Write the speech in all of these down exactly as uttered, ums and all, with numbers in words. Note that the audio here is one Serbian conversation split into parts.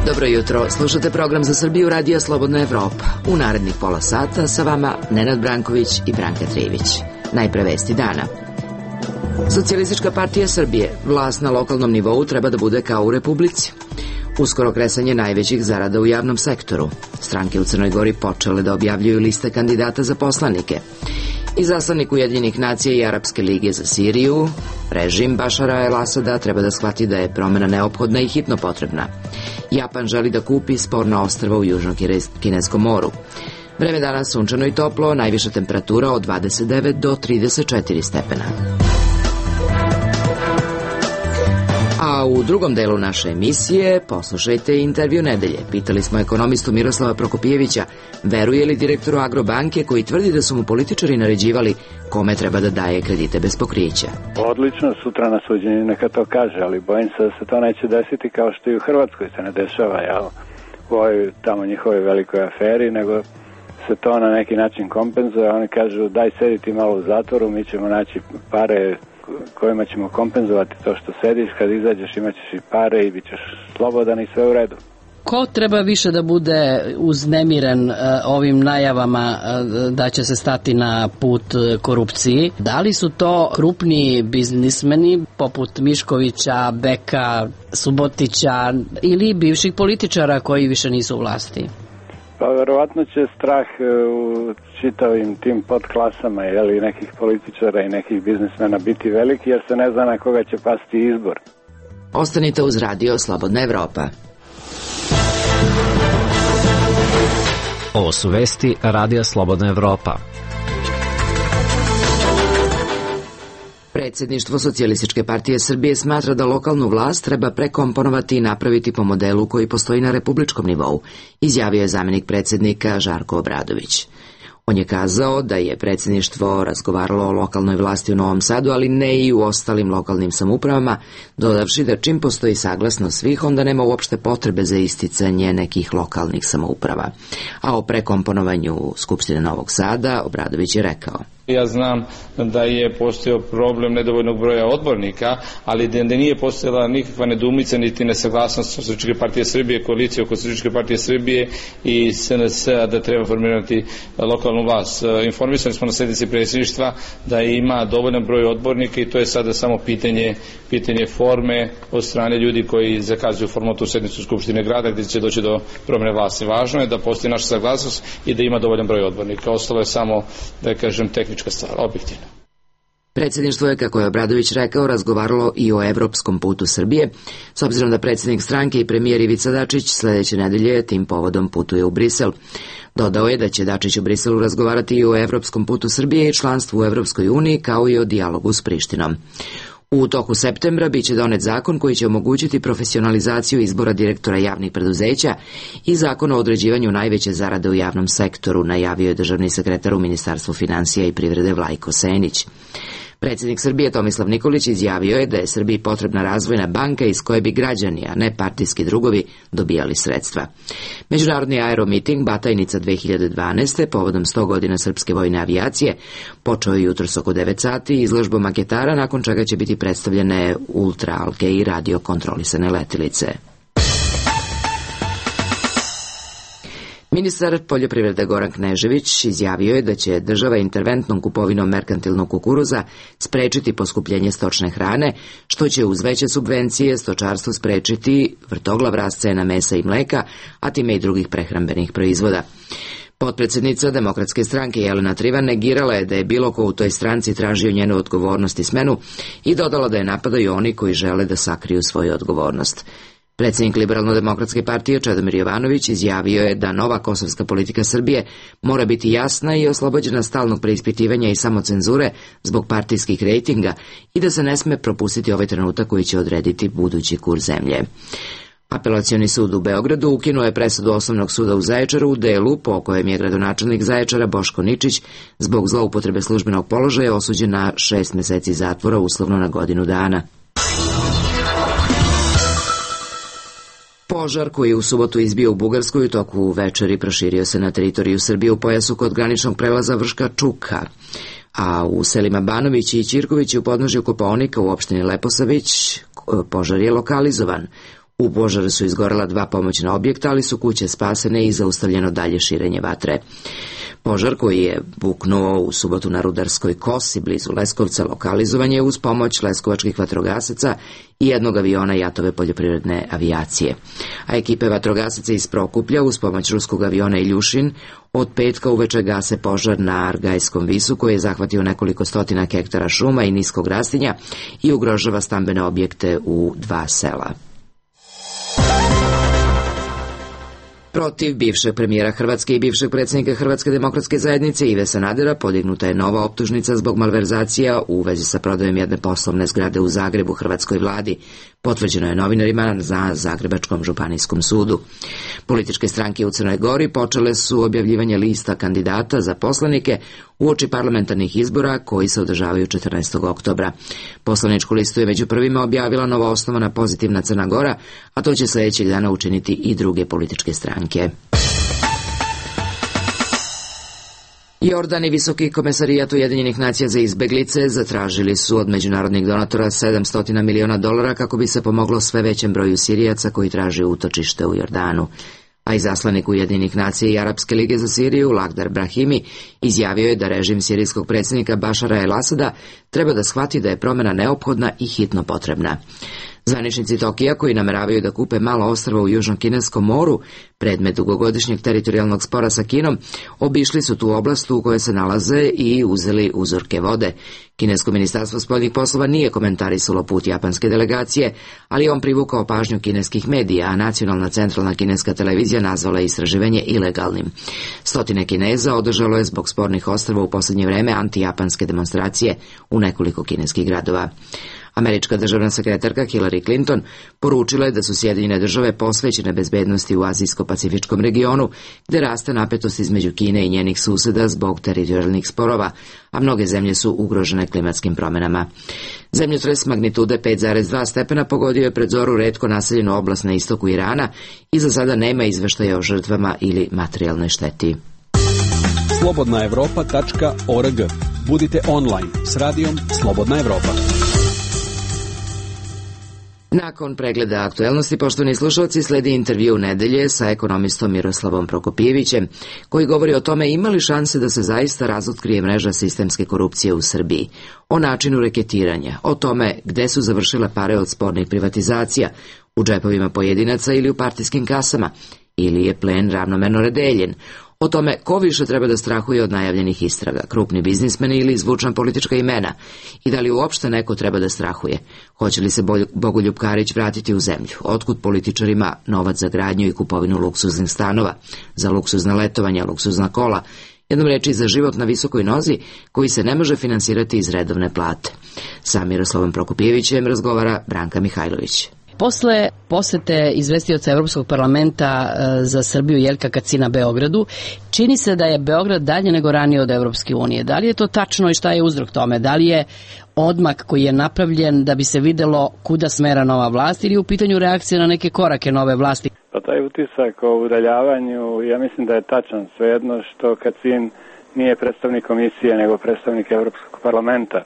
Dobro jutro, slušate program za Srbiju Radija Slobodna Evropa. U narednih pola sata sa vama Nenad Branković i Branka Trivić. Najpre vesti dana. Socijalistička partija Srbije, vlast na lokalnom nivou treba da bude kao u Republici. Uskoro kresanje najvećih zarada u javnom sektoru. Stranke u Crnoj Gori počele da objavljuju liste kandidata za poslanike. Izaslanik Ujedinjenih nacija i Arapske lige za Siriju, režim Bašara el-Asada treba da shvati da je promena neophodna i hitno potrebna. Japan želi da kupi sporna ostrva u Južnom Kineskom moru. Vreme danas sunčano i toplo, najviša temperatura od dvadeset devet do trideset četiri stepena. A u drugom delu naše emisije poslušajte intervju nedelje. Pitali smo ekonomistu Miroslava Prokopijevića veruje li direktoru Agrobanke koji tvrdi da su mu političari naređivali kome treba da daje kredite bez pokrića. Odlično, sutra na suđenju neka to kaže, ali bojim se da se to neće desiti kao što i u Hrvatskoj se ne dešava, jel, u ovoj tamo njihovoj velikoj aferi, nego se to na neki način kompenzuje. Oni kažu daj sediti malo u zatvoru, mi ćemo naći pare kojima ćemo kompenzovati to što sediš, kad izađeš imat ćeš i pare i bit ćeš slobodan i sve u redu. Ko treba više da bude uznemiren uh, ovim najavama uh, da će se stati na put uh, korupciji? Da li su to krupni biznismeni poput Miškovića, Beka, Subotića ili bivših političara koji više nisu u vlasti? Pa verovatno će strah u čitavim tim podklasama, jeli, nekih političara i nekih biznismena biti veliki, jer se ne zna na koga će pasti izbor. Ostanite uz Radio Slobodna Evropa. Ovo su vesti Radija Slobodna Evropa. Predsjedništvo Socijalističke partije Srbije smatra da lokalnu vlast treba prekomponovati i napraviti po modelu koji postoji na republičkom nivou, izjavio je zamenik predsjednika Žarko Obradović. On je kazao da je predsjedništvo razgovaralo o lokalnoj vlasti u Novom Sadu, ali ne i u ostalim lokalnim samoupravama, dodavši da čim postoji saglasnost svih, onda nema uopšte potrebe za isticanje nekih lokalnih samouprava. A o prekomponovanju Skupštine Novog Sada Obradović je rekao: Ja znam da je postojao problem nedovoljnog broja odbornika, ali da nije postojala nikakva nedoumica niti nesaglasnost Socijalističke partije Srbije, koalicije oko Socijalističke partije Srbije i S N S-a da treba formirati lokalnu vlast. Informisali smo na sednici predsjedništva da ima dovoljan broj odbornika i to je sada samo pitanje, pitanje forme od strane ljudi koji zakazuju formalnu sednicu Skupštine grada gdje će doći do promjene vlasti. Važno je da postoji naša saglasnost i da ima dovoljan broj odbornika. Ostalo je samo, da kažem, tehnička stvar, objektivno. Predsjedništvo je, kako je Obradović rekao, razgovaralo i o evropskom putu Srbije, s obzirom da predsjednik stranke i premijer Ivica Dačić sledeće nedelje tim povodom putuje u Brisel. Dodao je da će Dačić u Briselu razgovarati i o evropskom putu Srbije i članstvu u Evropskoj uniji, kao i o dijalogu s Prištinom. U toku septembra biće donet zakon koji će omogućiti profesionalizaciju izbora direktora javnih preduzeća i zakon o određivanju najveće zarade u javnom sektoru, najavio je državni sekretar u Ministarstvu finansija i privrede Vlajko Senić. Predsjednik Srbije Tomislav Nikolić izjavio je da je Srbiji potrebna razvojna banka iz koje bi građani, a ne partijski drugovi, dobijali sredstva. Međunarodni aeromiting Batajnica dve hiljade dvanaeste povodom sto godina srpske vojne avijacije počeo je jutros oko devet sati izložbom maketara, nakon čega će biti predstavljene ultraalke i radio kontrolisane letilice. Ministar poljoprivrede Goran Knežević izjavio je da će država interventnom kupovinom merkantilnog kukuruza sprečiti poskupljenje stočne hrane, što će uz veće subvencije stočarstvu sprečiti vrtoglav rast cena mesa i mleka, a time i drugih prehrambenih proizvoda. Potpredsjednica Demokratske stranke Jelena Trivan negirala je da je bilo ko u toj stranci tražio njenu odgovornost i smenu i dodala da je napadaju oni koji žele da sakriju svoju odgovornost. Predsjednik Liberalno-demokratske partije Čedomir Jovanović izjavio je da nova kosovska politika Srbije mora biti jasna i oslobođena stalnog preispitivanja i samocenzure zbog partijskih rejtinga i da se ne sme propustiti ovaj trenutak koji će odrediti budući kurs zemlje. Apelacioni sud u Beogradu ukinuo je presudu Osnovnog suda u Zaječaru u delu po kojem je gradonačelnik Zaječara Boško Ničić zbog zloupotrebe službenog položaja osuđen na šest meseci zatvora, uslovno na godinu dana. Požar koji je u subotu izbio u Bugarskoj u toku večeri proširio se na teritoriju Srbije u pojasu kod graničnog prelaza Vrška Čuka, a u selima Banović i Ćirković u podnožju Kopaonika u opštini Leposavić požar je lokalizovan. U požaru su izgorela dva pomoćna objekta, ali su kuće spasene i zaustavljeno dalje širenje vatre. Požar koji je buknuo u subotu na Rudarskoj kosi blizu Leskovca lokalizovan je uz pomoć leskovačkih vatrogasaca i jednog aviona Jatove poljoprivredne avijacije. A ekipe vatrogasaca iz Prokuplja uz pomoć ruskog aviona Iljušin od petka uveče gase požar na Argajskom visu koji je zahvatio nekoliko stotina hektara šuma i niskog rastinja i ugrožava stambene objekte u dva sela. Protiv bivšeg premijera Hrvatske i bivšeg predsjednika Hrvatske demokratske zajednice Ive Sanadera podignuta je nova optužnica zbog malverzacija u vezi sa prodajom jedne poslovne zgrade u Zagrebu hrvatskoj vladi. Potvrđeno je novinarima na Zagrebačkom županijskom sudu. Političke stranke u Crnoj Gori počele su objavljivanje lista kandidata za poslanike uoči parlamentarnih izbora koji se održavaju četrnaestog oktobra. Poslaničku listu je među prvima objavila novoosnovana Pozitivna Crna Gora, a to će sljedećeg dana učiniti i druge političke stranke. Jordan i Visoki komesarijat Ujedinjenih nacija za izbeglice zatražili su od međunarodnih donatora sedamsto miliona dolara kako bi se pomoglo sve većem broju Sirijaca koji traže utočište u Jordanu. A izaslanik Ujedinjenih nacija i Arapske lige za Siriju, Lakhdar Brahimi, izjavio je da režim sirijskog predsjednika Bašara el-Asada treba da shvati da je promjena neophodna i hitno potrebna. Zvaničnici Tokija, koji nameravaju da kupe malo ostrva u Južnom Kineskom moru, predmet dugogodišnjeg teritorijalnog spora sa Kinom, obišli su tu oblast u kojoj se nalaze i uzeli uzorke vode. Kinesko ministarstvo spoljnih poslova nije komentarisalo put japanske delegacije, ali on privukao pažnju kineskih medija, a nacionalna centralna kineska televizija nazvala je istraživanje ilegalnim. Stotine Kineza održalo je zbog spornih ostrva u posljednje vreme antijapanske demonstracije u nekoliko kineskih gradova. Američka državna sekretarka Hillary Clinton poručila je da su Sjedinjene države posvećene bezbednosti u azijsko-pacifičkom regionu, gde raste napetost između Kine i njenih suseda zbog teritorijalnih sporova, a mnoge zemlje su ugrožene klimatskim promjenama. Zemljotres magnitude pet zarez dva stepena pogodio je pred zoru retko naseljenu oblast na istoku Irana i za sada nema izveštaja o žrtvama ili materijalnoj šteti. slobodna evropa tačka org. Budite online s radijom Slobodna Evropa. Nakon pregleda aktuelnosti, poštovani slušalci, sledi intervju nedelje sa ekonomistom Miroslavom Prokopijevićem, koji govori o tome ima li šanse da se zaista razotkrije mreža sistemske korupcije u Srbiji, o načinu reketiranja, o tome gde su završile pare od spornih privatizacija, u džepovima pojedinaca ili u partijskim kasama, ili je plen ravnomerno redeljen, o tome ko više treba da strahuje od najavljenih istraga, krupni biznismeni ili zvučna politička imena, i da li uopšte neko treba da strahuje. Hoće li se Bogoljub Karić vratiti u zemlju? Otkud političarima novac za gradnju i kupovinu luksuznih stanova, za luksuzna letovanja, luksuzna kola, jednom reči za život na visokoj nozi koji se ne može finansirati iz redovne plate. Sa Miroslavom Prokopijevićem razgovara Branka Mihajlović. Posle posete izvestioca Evropskog parlamenta za Srbiju Jelka Kacina Beogradu, čini se da je Beograd dalje nego ranije od Evropske unije. Da li je to tačno i šta je uzrok tome? Da li je odmak koji je napravljen da bi se videlo kuda smera nova vlast ili je u pitanju reakcije na neke korake nove vlasti? Pa taj utisak o udaljavanju, ja mislim da je tačan. Svejedno što Kacin nije predstavnik komisije nego predstavnik Evropskog parlamenta,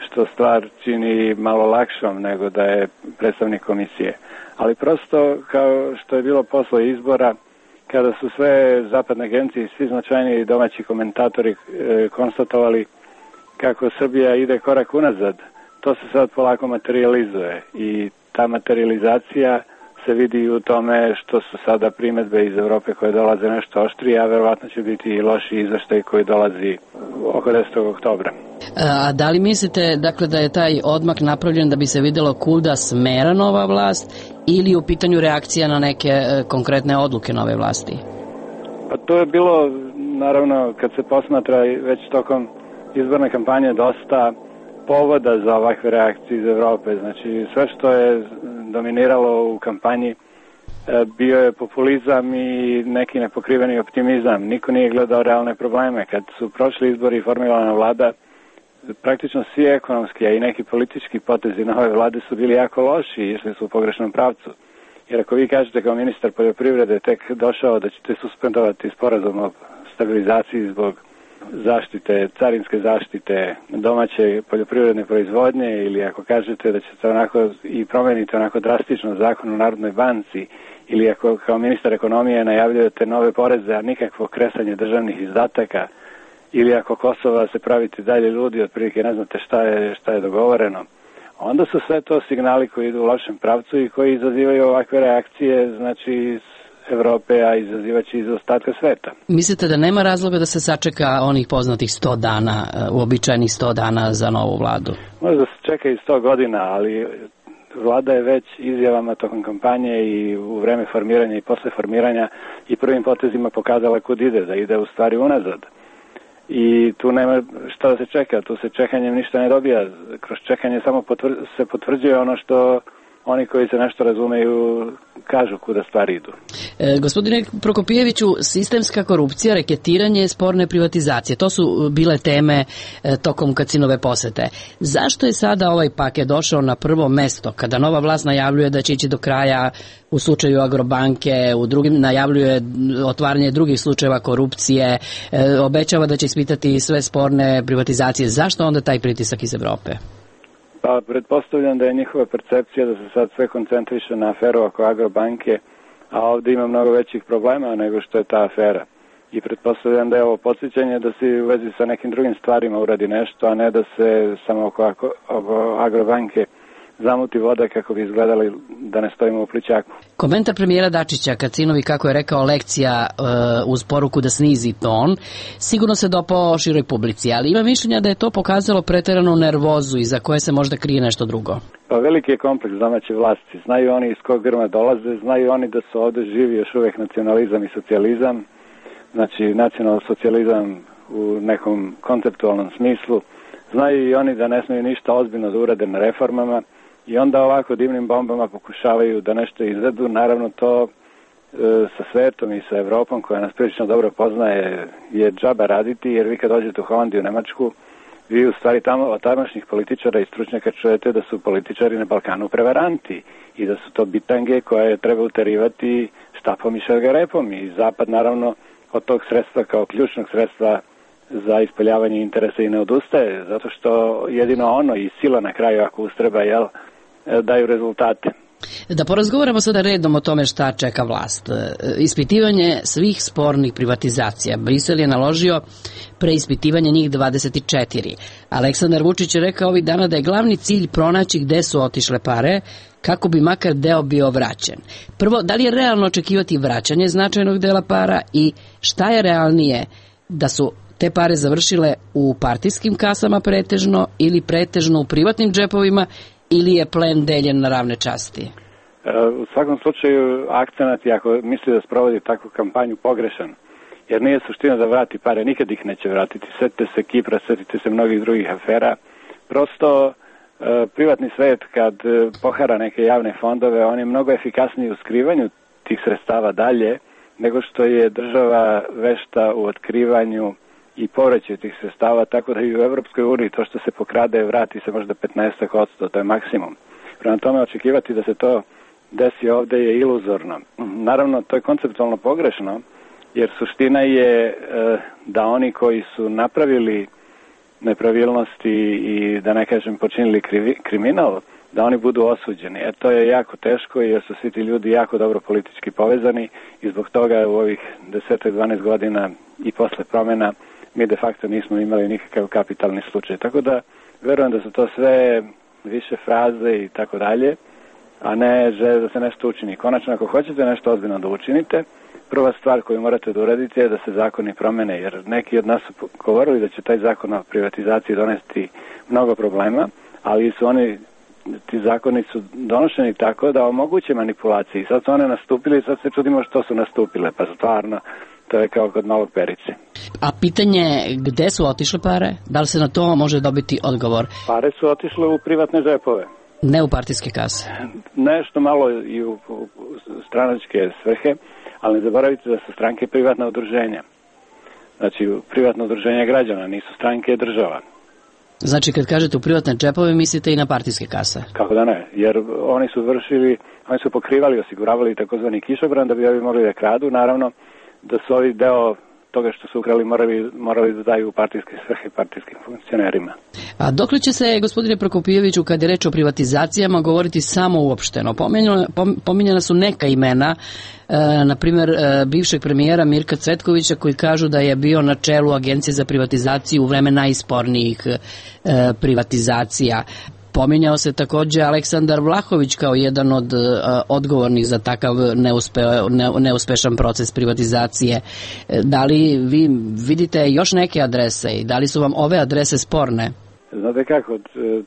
što stvar čini malo lakšom nego da je predstavnik komisije. Ali prosto, kao što je bilo posle izbora, kada su sve zapadne agencije i svi značajni domaći komentatori e, konstatovali kako Srbija ide korak unazad, to se sad polako materializuje i ta materializacija se vidi u tome što su sada primedbe iz Evrope koje dolaze nešto oštrije, a verovatno će biti i loši izveštaj koji dolazi oko desetog oktobra. A da li mislite dakle, da je taj odmak napravljen da bi se videlo kuda smera nova vlast ili u pitanju reakcija na neke e, konkretne odluke nove vlasti? Pa to je bilo, naravno, kad se posmatra već tokom izborne kampanje dosta povoda za ovakve reakcije iz Evrope. Znači, sve što je dominiralo u kampanji bio je populizam i neki nepokriveni optimizam. Niko nije gledao realne probleme. Kad su prošli izbori i formirana vlada, praktično svi ekonomski, a i neki politički potezi nove vlade su bili jako loši i išli su u pogrešnom pravcu. Jer ako vi kažete kao ministar poljoprivrede tek došao da ćete suspendovati sporazum o stabilizaciji zbog zaštite, carinske zaštite domaće poljoprivredne proizvodnje, ili ako kažete da ćete onako i promeniti onako drastično zakon o Narodnoj banci, ili ako kao ministar ekonomije najavljujete nove poreze, a nikakvo kresanje državnih izdataka, ili ako Kosova se pravite dalje ludi, otprilike ne znate šta je, šta je dogovoreno, onda su sve to signali koji idu u lošem pravcu i koji izazivaju ovakve reakcije, znači iz Evrope, a izazivaće iz ostatka sveta. Mislite da nema razloga da se sačeka onih poznatih sto dana, uobičajenih sto dana za novu vladu? Možda se čeka i sto godina, ali vlada je već izjavama tokom kampanje i u vreme formiranja i posle formiranja i prvim potezima pokazala kud ide, da ide u stvari unazad. I tu nema šta da se čeka, tu se čekanjem ništa ne dobija. Kroz čekanje samo potvr se potvrđuje ono što oni koji se nešto razumeju kažu kuda stvari idu. E, gospodine Prokopijeviću, sistemska korupcija, reketiranje, sporne privatizacije, to su bile teme e, tokom Kacinove posete. Zašto je sada ovaj paket došao na prvo mesto, kada nova vlast najavljuje da će ići do kraja u slučaju Agrobanke, u drugim najavljuje otvaranje drugih slučajeva korupcije, e, obećava da će ispitati sve sporne privatizacije. Zašto onda taj pritisak iz Evrope? Pa pretpostavljam da je njihova percepcija da se sad sve koncentriše na aferu oko Agrobanke, a ovdje ima mnogo većih problema nego što je ta afera. I pretpostavljam da je ovo podsjećanje da se u vezi sa nekim drugim stvarima uradi nešto, a ne da se samo oko, oko Agrobanke zamuti voda kako bi izgledali da ne stojimo u plićaku. Komentar premijera Dačića Kacinovi, kako je rekao, lekcija uh, uz poruku da snizi ton, sigurno se dopao široj publici, ali ima mišljenja da je to pokazalo preteranu nervozu i za koje se možda krije nešto drugo. Pa veliki je kompleks domaće vlasti. Znaju oni iz kog grma dolaze, znaju oni da su ovde živi još uvek nacionalizam i socijalizam, znači nacionalni socijalizam u nekom konceptualnom smislu. Znaju i oni da ne smiju ništa ozbiljno da urade na reformama, i onda ovako divnim bombama pokušavaju da nešto izvedu. Naravno to e, sa svetom i sa Evropom, koja nas prilično dobro poznaje, je džaba raditi, jer vi kad dođete u Holandiju, u Nemačku, vi u stvari tamo od tadašnjih političara i stručnjaka čujete da su političari na Balkanu prevaranti i da su to bitange koje treba uterivati štapom i šargarepom, i Zapad naravno od tog sredstva kao ključnog sredstva za ispoljavanje interesa i ne odustaje, zato što jedino ono i sila na kraju, ako ustreba, jel, daju rezultate. Da porazgovaramo sada redom o tome šta čeka vlast. Ispitivanje svih spornih privatizacija. Brisel je naložio preispitivanje njih dvadeset četiri. Aleksandar Vučić je rekao ovih dana da je glavni cilj pronaći gde su otišle pare, kako bi makar deo bio vraćen. Prvo, da li je realno očekivati vraćanje značajnog dela para i šta je realnije, da su te pare završile u partijskim kasama pretežno ili pretežno u privatnim džepovima, ili je plen deljen na ravne časti? U svakom slučaju, akcenat je, ako misli da sprovodi takvu kampanju, pogrešan. Jer nije suština da vrati pare, nikad ih neće vratiti. Setite se Kipra, setite se mnogih drugih afera. Prosto, privatni svet kad pohara neke javne fondove, on je mnogo efikasniji u skrivanju tih sredstava dalje, nego što je država vešta u otkrivanju i povraćaju tih sredstava, tako da i u Evropskoj uniji to što se pokrade vrati se možda petnaest posto, to je maksimum. Prema tome, očekivati da se to desi ovde je iluzorno. Naravno, to je konceptualno pogrešno, jer suština je da oni koji su napravili nepravilnosti i, da ne kažem, počinili krivi, kriminal, da oni budu osuđeni. E, to je jako teško, jer su svi ti ljudi jako dobro politički povezani i zbog toga u ovih deset do dvanaest godina i posle promena mi de facto nismo imali nikakav kapitalni slučaj. Tako da verujem da su to sve više fraze i tako dalje, a ne žele da se nešto učini. Konačno, ako hoćete nešto ozbiljno da učinite, prva stvar koju morate da uradite je da se zakoni promene, jer neki od nas su govorili da će taj zakon o privatizaciji donesti mnogo problema, ali su oni, ti zakoni su donošeni tako da omoguće manipulacije. Sad su one nastupile i sad se čudimo što su nastupile, pa stvarno to je kao kod malog Perice. A pitanje gde su otišle pare? Da li se na to može dobiti odgovor? Pare su otišle u privatne džepove. Ne u partijske kase? Nešto malo i u, u stranačke svrhe, ali ne zaboravite da su stranke privatna udruženja. Znači, privatno udruženje građana, nisu stranke država. Znači, kad kažete u privatne džepove, mislite i na partijske kase? Kako da ne, jer oni su vršili, oni su pokrivali, osiguravali takozvani kišobran da bi ovi mogli da kradu, naravno da su ovi deo toga što su ukrali morali, morali da daju u partijske svrhe partijskim funkcionerima. A dokle će se, gospodine Prokopijeviću, kad je reč o privatizacijama, govoriti samo uopšteno? Pominjana, pominjana su neka imena, e, na primjer e, bivšeg premijera Mirka Cvetkovića, koji kažu da je bio na čelu Agencije za privatizaciju u vreme najspornijih e, privatizacija. Pominjao se takođe Aleksandar Vlahović kao jedan od uh, odgovornih za takav neuspe, ne, neuspešan proces privatizacije. Da li vi vidite još neke adrese i da li su vam ove adrese sporne? Znate kako,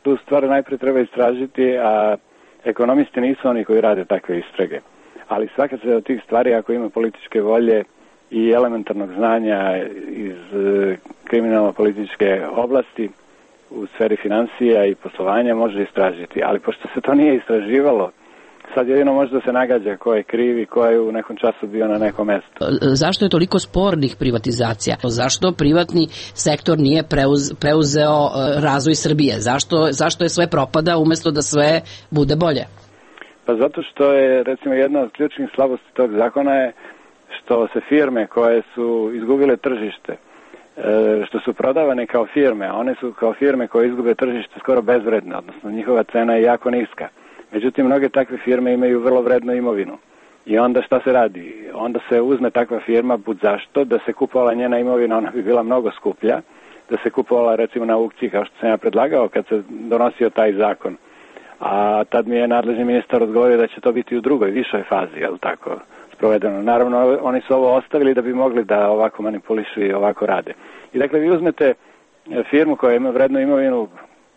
tu stvar najprije treba istražiti, a ekonomisti nisu oni koji rade takve istrage. Ali svaka se od tih stvari, ako ima političke volje i elementarnog znanja iz kriminalno-političke oblasti, u sferi financija i poslovanja može istražiti, ali pošto se to nije istraživalo, sad jedino može da se nagađa ko je kriv i ko je u nekom času bio na nekom mestu. Zašto je toliko spornih privatizacija? Zašto privatni sektor nije preuz, preuzeo razvoj Srbije? Zašto, zašto je sve propada umesto da sve bude bolje? Pa zato što je, recimo, jedna od ključnih slabosti tog zakona je što se firme koje su izgubile tržište, što su prodavane kao firme, one su kao firme koje izgube tržište skoro bezvredne, odnosno njihova cena je jako niska. Međutim, mnoge takve firme imaju vrlo vrednu imovinu. I onda šta se radi? Onda se uzme takva firma, bud zašto, da se kupovala njena imovina, ona bi bila mnogo skuplja, da se kupovala recimo na aukciji, kao što sam ja predlagao kad se donosio taj zakon. A tad mi je nadležni ministar odgovorio da će to biti u drugoj, višoj fazi, je li tako, sprovedeno. Naravno, oni su ovo ostavili da bi mogli da ovako manipulišu i ovako rade. I dakle, vi uzmete firmu koja ima vrednu imovinu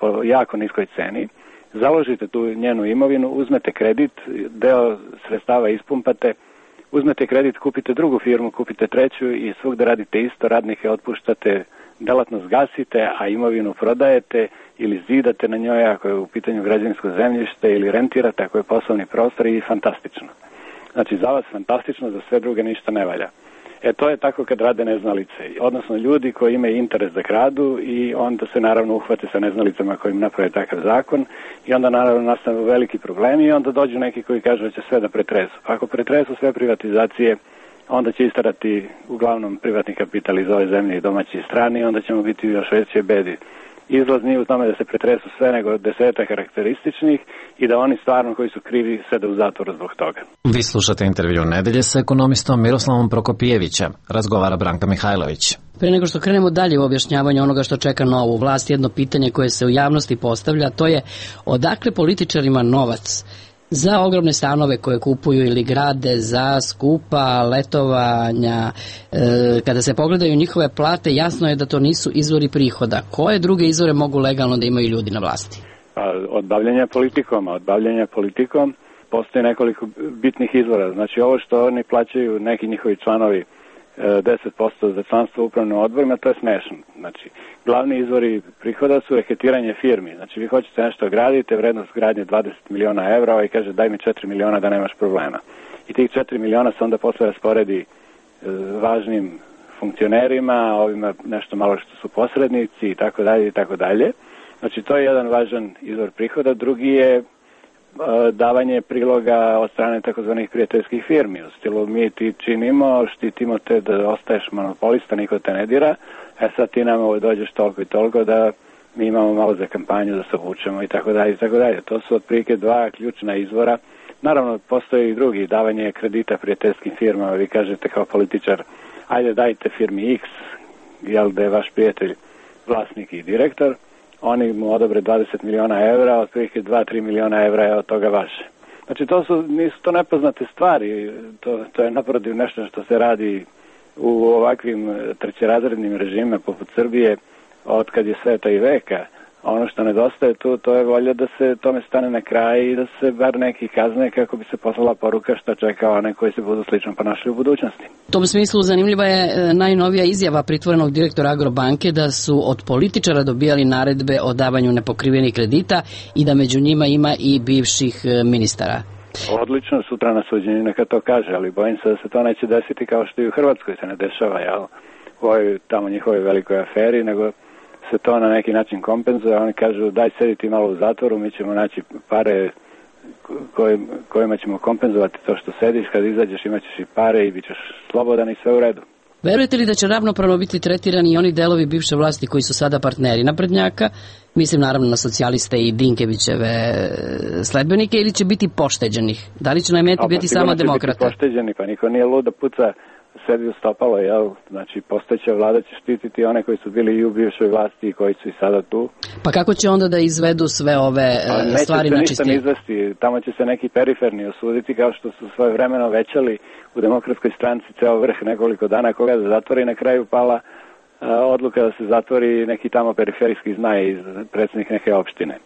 po jako niskoj ceni, založite tu njenu imovinu, uzmete kredit, deo sredstava ispumpate, uzmete kredit, kupite drugu firmu, kupite treću i svugde radite isto, radnike otpuštate, delatnost gasite, a imovinu prodajete ili zidate na njoj ako je u pitanju građevinsko zemljište ili rentirate ako je poslovni prostor i fantastično. Znači, za vas fantastično, za sve druge ništa ne valja. E, to je tako kad rade neznalice, odnosno ljudi koji imaju interes da kradu i onda se naravno uhvate sa neznalicama koji im naprave takav zakon i onda naravno nastanu veliki problemi i onda dođu neki koji kažu da će sve da pretresu. Pa ako pretresu sve privatizacije, onda će istarati uglavnom privatni kapital iz ove zemlje i domaći strani i onda ćemo biti u još većoj bedi. Izlaz nije u tome da se pretresu sve, nego deseta karakterističnih i da oni stvarno koji su krivi sede u zatvoru zbog toga. Vi slušate intervju nedelje sa ekonomistom Miroslavom Prokopijevićem. Razgovara Branka Mihajlović. Pre nego što krenemo dalje u objašnjavanju onoga što čeka novu vlast, jedno pitanje koje se u javnosti postavlja, to je odakle političarima novac za ogromne stanove koje kupuju ili grade, za skupa letovanja. E, kada se pogledaju njihove plate, jasno je da to nisu izvori prihoda. Koje druge izvore mogu legalno da imaju ljudi na vlasti? Pa, od bavljenja politikom, a od bavljenja politikom postoji nekoliko bitnih izvora. Znači, ovo što oni plaćaju neki njihovi članovi deset posto za članstvo u upravnim odborima, to je smešno. Znači, glavni izvori prihoda su reketiranje firmi. Znači, vi hoćete nešto gradite, vrednost gradnje dvadeset miliona evra i kaže daj mi četiri miliona da nemaš problema. I tih četiri miliona se onda posle rasporedi e, važnim funkcionerima, ovima nešto malo što su posrednici i tako dalje i tako dalje. Znači, to je jedan važan izvor prihoda. Drugi je davanje priloga od strane takozvanih prijateljskih firmi. U stilu mi ti činimo, štitimo te da ostaješ monopolista, niko te ne dira, e sad ti nam dođeš toliko i toliko da mi imamo malo za kampanju da se obučemo i tako dalje i tako dalje. To su otprilike dva ključna izvora. Naravno, postoji i drugi, davanje kredita prijateljskim firmama. Vi kažete kao političar, ajde dajte firmi X, jel da je vaš prijatelj vlasnik i direktor, oni mu odobre dvadeset miliona evra, otprilike dva do tri miliona evra je od toga vaše. Znači, to su, nisu to nepoznate stvari, to, to je naprotiv nešto što se radi u ovakvim trećerazrednim režimima poput Srbije od kad je sveta i veka. Ono što nedostaje tu, to je volja da se tome stane na kraj i da se bar neki kazne kako bi se poslala poruka što čeka one koji se budu slično ponašali u budućnosti. U tom smislu zanimljiva je najnovija izjava pritvorenog direktora Agrobanke da su od političara dobijali naredbe o davanju nepokrivenih kredita i da među njima ima i bivših ministara. Odlično, sutra na suđenju neka to kaže, ali bojim se da se to neće desiti kao što i u Hrvatskoj se ne dešava, jel? U ovoj tamo njihovoj velikoj aferi, nego se to na neki način kompenzuje. Oni kažu daj sediti malo u zatvoru, mi ćemo naći pare koj, kojima ćemo kompenzovati to što sediš, kad izađeš imat ćeš i pare i bit ćeš slobodan i sve u redu. Verujete li da će ravnopravno biti tretirani i oni delovi bivše vlasti koji su sada partneri naprednjaka, mislim naravno na socijaliste i Dinkevićeve sledbenike, ili će biti pošteđenih? Da li će na meti biti samo demokrata? Biti pošteđeni, pa niko nije lud da puca sebi u stopalo, jel? Znači, postojeća vlada će štititi one koji su bili i u bivšoj vlasti i koji su i sada tu. Pa kako će onda da izvedu sve ove A stvari na čistinu? Neće se ništa ne izvesti, tamo će se neki periferni osuditi, kao što su svoje vremeno većali u Demokratskoj stranci ceo vrh nekoliko dana, koga da zatvori, na kraju pala a, odluka da se zatvori neki tamo periferijski znaj iz predsjednik neke opštine.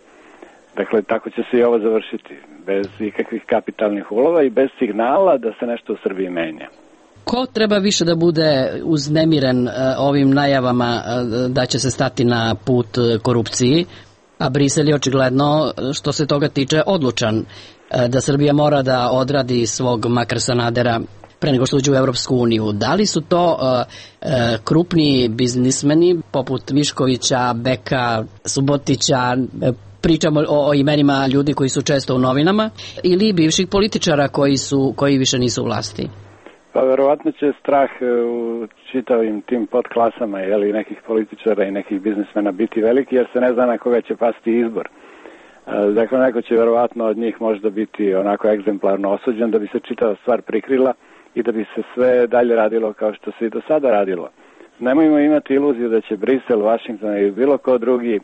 Dakle, tako će se i ovo završiti, bez ikakvih kapitalnih ulova i bez signala da se nešto u Srbiji menja. Ko treba više da bude uznemiren ovim najavama da će se stati na put korupciji, a Brisel je očigledno, što se toga tiče, odlučan da Srbija mora da odradi svog makar Sanadera pre nego što uđe u Evropsku uniju. Da li su to uh, uh, krupni biznismeni poput Miškovića, Beka, Subotića, pričamo o, o imenima ljudi koji su često u novinama, ili bivših političara koji su koji više nisu u vlasti? Pa verovatno će strah u čitavim tim podklasama, jeli, nekih političara i nekih biznismena biti veliki, jer se ne zna na koga će pasti izbor. Dakle, neko će verovatno od njih možda biti onako egzemplarno osuđen da bi se čitava stvar prikrila i da bi se sve dalje radilo kao što se i do sada radilo. Nemojmo imati iluziju da će Brisel, Washington ili bilo ko drugi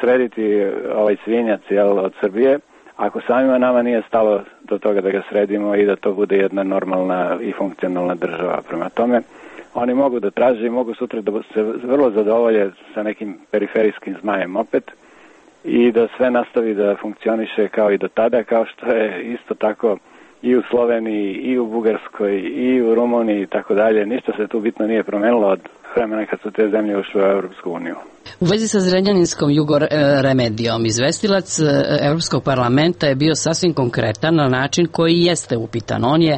srediti ovaj svinjac, jel, od Srbije, ako samima nama nije stalo do toga da ga sredimo i da to bude jedna normalna i funkcionalna država. Prema tome, oni mogu da traže i mogu sutra da se vrlo zadovolje sa nekim periferijskim zmajem opet i da sve nastavi da funkcioniše kao i do tada, kao što je isto tako i u Sloveniji, i u Bugarskoj, i u Rumuniji i tako dalje. Ništa se tu bitno nije promenilo od vremena kad su te zemlje ušle u Evropsku uniju. U vezi sa Zrenjaninskom jugoremedijom, izvestilac Evropskog parlamenta je bio sasvim konkretan na način koji jeste upitan. On je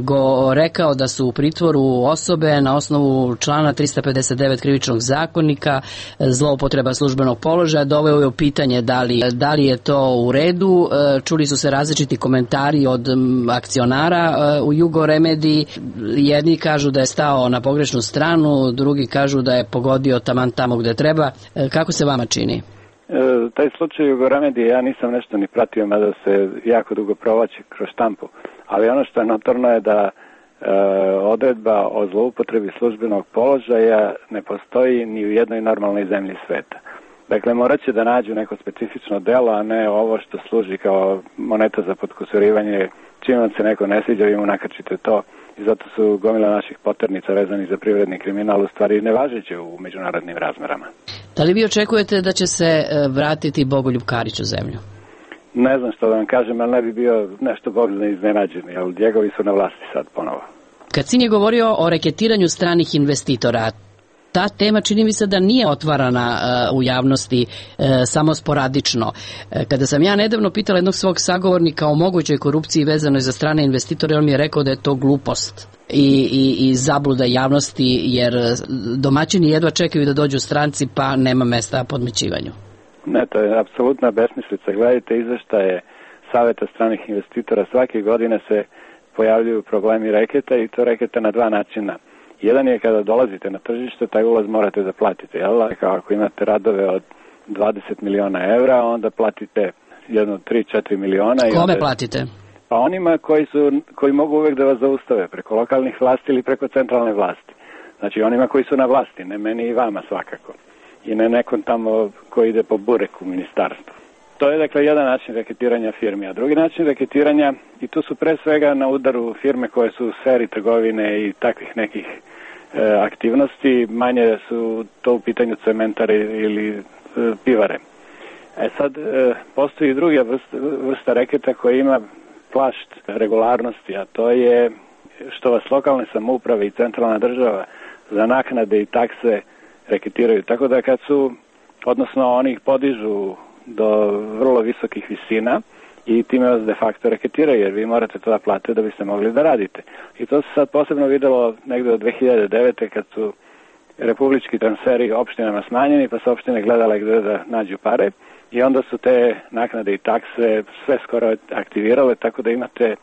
go rekao da su u pritvoru osobe na osnovu člana trista pedeset devet krivičnog zakonika, zloupotreba službenog položaja, doveo je u pitanje da li, da li je to u redu. Čuli su se različiti komentari od akcionara u jugoremediji. Jedni kažu da je stao na pogrešnu stranu, drugi kažu da je pogodio taman tamo gde treba. Kako se vama čini? E, taj slučaj Jugoremedije ja nisam nešto ni pratio, mada se jako dugo provlači kroz štampu, ali ono što je notorno je da e, odredba o zloupotrebi službenog položaja ne postoji ni u jednoj normalnoj zemlji sveta. Dakle, morat će da nađu neko specifično delo, a ne ovo što služi kao moneta za potkusurivanje. Čim vam se neko ne sviđa, vi mu nakačite to. I zato su gomila naših poternica vezani za privredni kriminal u stvari nevažeće u međunarodnim razmerama. Da li vi očekujete da će se vratiti Bogoljub Karić u zemlju? Ne znam što da vam kažem, ali ne bi bio nešto Bog zna iznenađen, jer njegovi su na vlasti sad ponovo. Kad sin je govorio o reketiranju stranih investitora, ta tema čini mi se da nije otvarana uh, u javnosti uh, samo sporadično. Uh, kada sam ja nedavno pitala jednog svog sagovornika o mogućoj korupciji vezanoj za strane investitore, on mi je rekao da je to glupost i, i, i zabluda javnosti, jer domaćini jedva čekaju da dođu stranci, pa nema mesta podmećivanju. Ne, to je apsolutna besmislica. Gledajte izveštaje Saveta stranih investitora, svake godine se pojavljuju problemi reketa i to reketa na dva načina. Jedan je kada dolazite na tržište, taj ulaz morate da platite, jel? Ako imate radove od dvadeset miliona evra, onda platite jedno tri do četiri miliona. Kome onda... platite? Pa onima koji, su, koji mogu uvek da vas zaustave, preko lokalnih vlasti ili preko centralne vlasti. Znači onima koji su na vlasti, ne meni i vama svakako. I ne nekom tamo koji ide po burek u ministarstvu. To je dakle jedan način reketiranja firmi, a drugi način reketiranja, i tu su pre svega na udaru firme koje su u sferi trgovine i takvih nekih e, aktivnosti, manje su to u pitanju cementare ili e, pivare. E sad, e, postoji druga vrsta, vrsta reketa koja ima plašt regularnosti, a to je što vas lokalne samouprave i centralna država za naknade i takse reketiraju. Tako da kad su, odnosno oni ih podižu do vrlo visokih visina i time vas de facto reketiraju, jer vi morate to da platite da biste mogli da radite. I to se sad posebno videlo negde od dve hiljade devete kad su republički transferi opštinama smanjeni, pa su opštine gledale gde da nađu pare i onda su te naknade i takse sve skoro aktivirale, tako da imate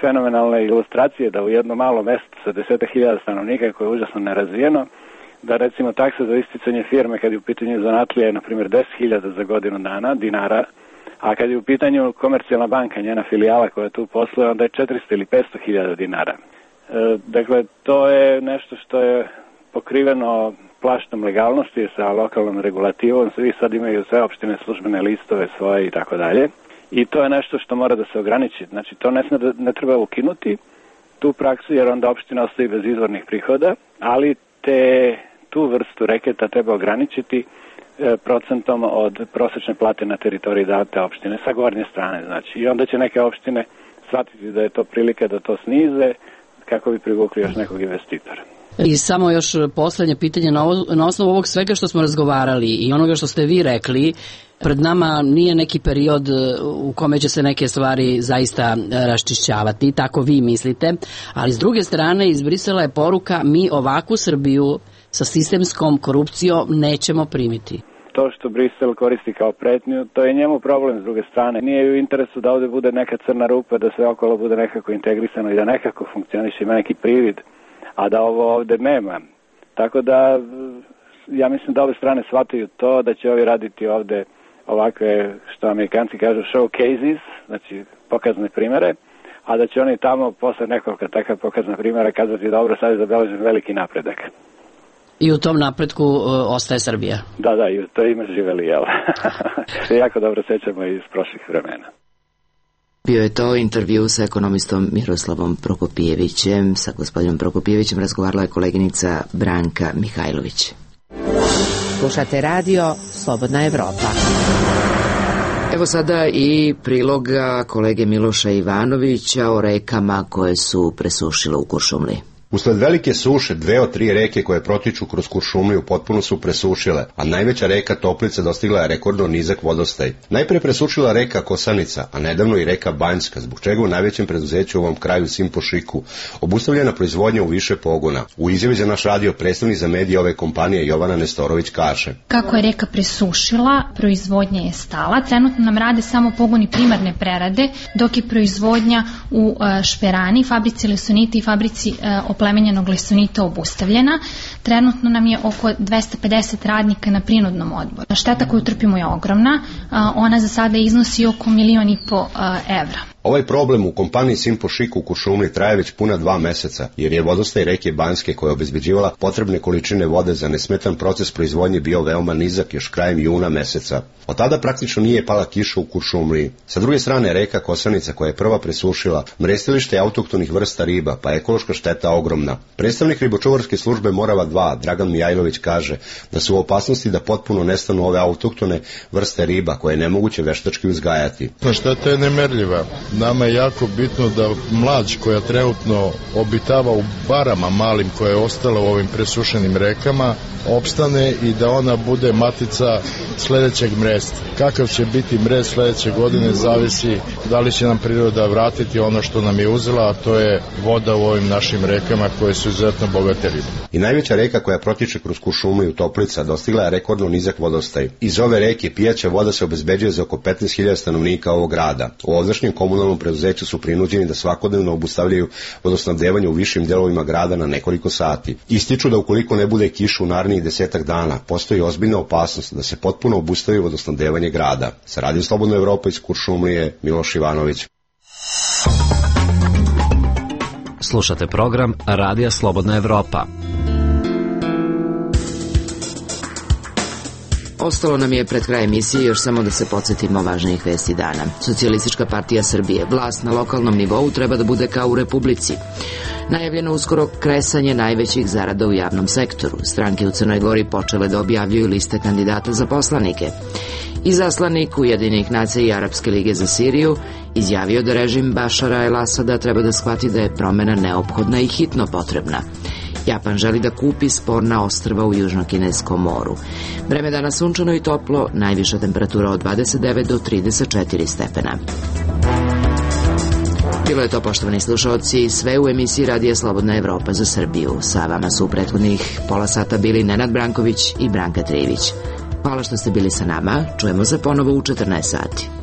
fenomenalne ilustracije da u jedno malo mesto sa desetak hiljada stanovnika koje je užasno nerazvijeno, da recimo taksa za isticanje firme kad je u pitanju zanatlija je na primjer deset hiljada za godinu dana dinara, a kad je u pitanju Komercijalna banka, njena filijala koja tu posluje, onda je četiristo ili petsto hiljada dinara. E, dakle, to je nešto što je pokriveno plaštom legalnosti sa lokalnom regulativom, svi sad imaju sve opštine službene listove svoje i tako dalje. I to je nešto što mora da se ograniči. Znači, to ne, ne treba ukinuti, tu praksu, jer onda opština ostaje bez izvornih prihoda, ali te, tu vrstu reketa treba ograničiti e, procentom od prosečne plate na teritoriji date opštine sa gornje strane. Znači, i onda će neke opštine shvatiti da je to prilika da to snize kako bi privukli još nekog investitora. I samo još poslednje pitanje na, ovo, na osnovu ovog svega što smo razgovarali i onoga što ste vi rekli, pred nama nije neki period u kome će se neke stvari zaista raščišćavati, tako vi mislite, ali s druge strane iz Brisela je poruka mi ovakvu Srbiju sa sistemskom korupcijom nećemo primiti. To što Brisel koristi kao pretnju, to je njemu problem s druge strane. Nije u interesu da ovde bude neka crna rupa, da sve okolo bude nekako integrisano i da nekako funkcioniše, ima neki privid, a da ovo ovde nema. Tako da ja mislim da ove strane shvataju to, da će ovi raditi ovde ovakve, što Amerikanci kažu, showcases, znači pokazne primere, a da će oni tamo posle nekoliko takav pokazna primjera kazati dobro, sad je zabeležen veliki napredak. I u tom napretku uh, ostaje Srbija. Da, da, i to ime živeli, jel? Se jako dobro sećamo iz prošlih vremena. Bio je to intervju sa ekonomistom Miroslavom Prokopijevićem. Sa gospodinom Prokopijevićem razgovarala je koleginica Branka Mihajlović. Slušate radio Slobodna Evropa. Evo sada i priloga kolege Miloša Ivanovića o rekama koje su presušile u Kuršumliji. Usled velike suše, dve od tri reke koje protiču kroz Kuršumliju potpuno su presušile, a najveća reka Toplica dostigla je rekordno nizak vodostaj. Najpre presušila reka Kosanica, a nedavno i reka Banjska, zbog čega u najvećem preduzeću u ovom kraju Simpošiku obustavljena proizvodnja u više pogona. U izjavi za naš radio predstavnik za medije ove kompanije Jovana Nestorović kaže: kako je reka presušila, proizvodnja je stala. Trenutno nam rade samo pogoni primarne prerade, dok je proizvodnja u Šperani, fabrici lesonita i fabrici oplemenjenog lesonita obustavljena. Trenutno nam je oko dvesta pedeset radnika na prinudnom odboru. Šteta koju trpimo je ogromna, ona za sada iznosi oko milion i po evra. Ovaj problem u kompaniji Simpošiku u Kuršumliji traje već puna dva meseca, jer je vodostaj reke Banjske koja je obezbeđivala potrebne količine vode za nesmetan proces proizvodnje bio veoma nizak još krajem juna meseca. Od tada praktično nije pala kiša u Kuršumliji. Sa druge strane reka Kosanica koja je prva presušila mrestilište autohtonih vrsta riba, pa ekološka šteta ogromna. Predstavnik ribočuvarske službe Morava dva, Dragan Mijajlović, kaže da su u opasnosti da potpuno nestanu ove autohtone vrste riba koje je nemoguće veštački uzgajati. Šteta je nemerljiva. Nama je jako bitno da mlađ koja trenutno obitava u barama malim koje je ostala u ovim presušenim rekama opstane i da ona bude matica sledećeg mresta. Kakav će biti mrest sledeće godine zavisi da li će nam priroda vratiti ono što nam je uzela, a to je voda u ovim našim rekama koje su izuzetno bogate ribe. I najveća reka koja protiče kroz Kuršumliju, Toplica, dostigla je rekordno nizak vodostaj. Iz ove reke pijaća voda se obezbeđuje za oko petnaest hiljada stanovnika ovog grada. U ovdašnjem komunalnom preduzeću su prinuđeni da svakodnevno obustavljaju vodosnabdevanje u višim delovima grada na nekoliko sati. Ističu da ukoliko ne bude kiša u narednih desetak dana, postoji ozbiljna opasnost da se potpuno obustavi vodosnabdevanje grada. Sa Radio Slobodna Evropa iz Kuršumlije, Miloš Ivanović. Slušate program Radija Slobodna Evropa. Ostalo nam je pred kraj emisije još samo da se podsjetimo važnijih vesti dana. Socijalistička partija Srbije, vlast na lokalnom nivou treba da bude kao u Republici. Najavljeno uskoro kresanje najvećih zarada u javnom sektoru. Stranke u Crnoj Gori počele da objavljuju liste kandidata za poslanike. Izaslanik Ujedinjenih nacija i Arapske lige za Siriju izjavio da režim Bašara el-Asada treba da shvati da je promena neophodna i hitno potrebna. Japan želi da kupi sporna ostrva u Južnokineskom moru. Vreme dana sunčano i toplo, najviša temperatura od dvadeset devet do trideset četiri stepena. Bilo je to, poštovani slušalci, sve u emisiji Radija Slobodna Evropa za Srbiju. Sa vama su u prethodnih pola sata bili Nenad Branković i Branka Trivić. Hvala što ste bili sa nama, čujemo se ponovo u četrnaest sati.